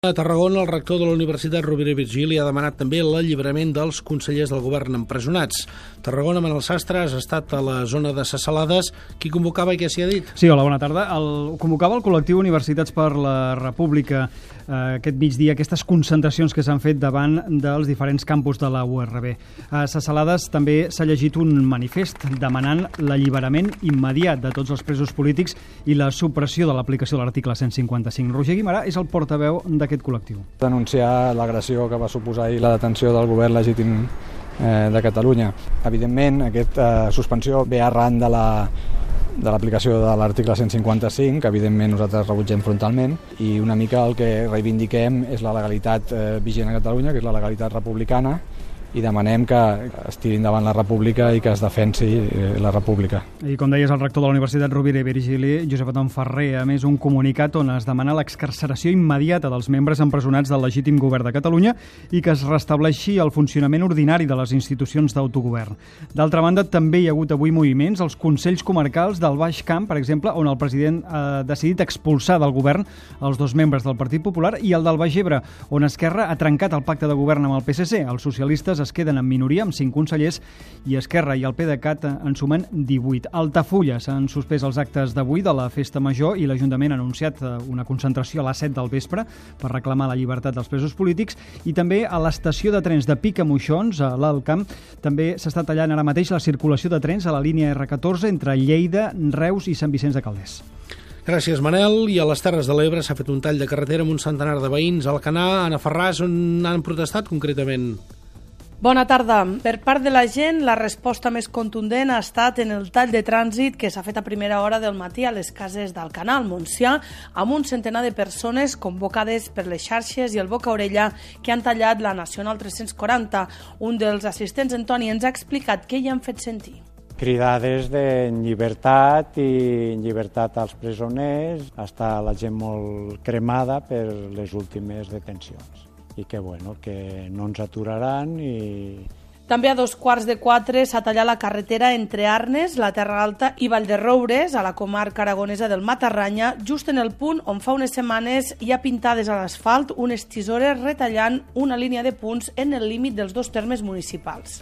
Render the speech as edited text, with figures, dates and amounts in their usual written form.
A Tarragona, el rector de la Universitat Rovira i Virgili ha demanat també l'alliberament dels consellers del govern empresonats. Tarragona, Manel Sastre, has estat a la zona de Ses Salades. Qui convocava i què s'hi ha dit? Sí, hola, bona tarda. Convocava el col·lectiu Universitats per la República aquest migdia, aquestes concentracions que s'han fet davant dels diferents campus de la URB. A Ses Salades també s'ha llegit un manifest demanant l'alliberament immediat de tots els presos polítics i la supressió de l'aplicació de l'article 155. Roger Guimarà és el portaveu d'aquest col·lectiu. Denunciar l'agressió que va suposar ahir la detenció del govern legítim de Catalunya. Evidentment, aquesta suspensió ve arran de l'aplicació de l'article 155, que evidentment nosaltres rebutgem frontalment, i una mica el que reivindiquem és la legalitat vigent a Catalunya, que és la legalitat republicana, i demanem que es tiri endavant la república i que es defensi la república. I com deies, el rector de la Universitat Rovira i Virgili, Josep Anton Ferrer, a més un comunicat on es demana l'excarceració immediata dels membres empresonats del legítim govern de Catalunya i que es restableixi el funcionament ordinari de les institucions d'autogovern. D'altra banda, també hi ha hagut avui moviments als Consells Comarcals del Baix Camp, per exemple, on el president ha decidit expulsar del govern els dos membres del Partit Popular, i el del Baix Ebre, on Esquerra ha trencat el pacte de govern amb el PSC. Els socialistes es queden en minoria amb 5 consellers i Esquerra i el PDeCAT en sumen 18. A Altafulla s'han suspès els actes d'avui de la Festa Major i l'Ajuntament ha anunciat una concentració a les 7 del vespre per reclamar la llibertat dels presos polítics, i també a l'estació de trens de Picamoixons, a l'Alt Camp, també s'està tallant ara mateix la circulació de trens a la línia R14 entre Lleida, Reus i Sant Vicenç de Calders. Gràcies, Manel. I a les Terres de l'Ebre s'ha fet un tall de carretera amb un centenar de veïns. A Alcanar, Anna Ferràs, on han protestat concretament? Bona tarda. Per part de la gent, la resposta més contundent ha estat en el tall de trànsit que s'ha fet a primera hora del matí a les cases d'Alcanar, al Montsià, amb un centenar de persones convocades per les xarxes i el boca-orella que han tallat la Nacional 340. Un dels assistents, Antoni, ens ha explicat què hi han fet sentir. Cridades de llibertat i llibertat als presoners. Està la gent molt cremada per les últimes detencions. I que no ens aturaran. També a 3:15 s'ha tallat la carretera entre Arnes, la Terra Alta i Vallderoures, a la comarca aragonesa del Matarranya, just en el punt on fa unes setmanes hi ha pintades a l'asfalt unes tisores retallant una línia de punts en el límit dels dos termes municipals.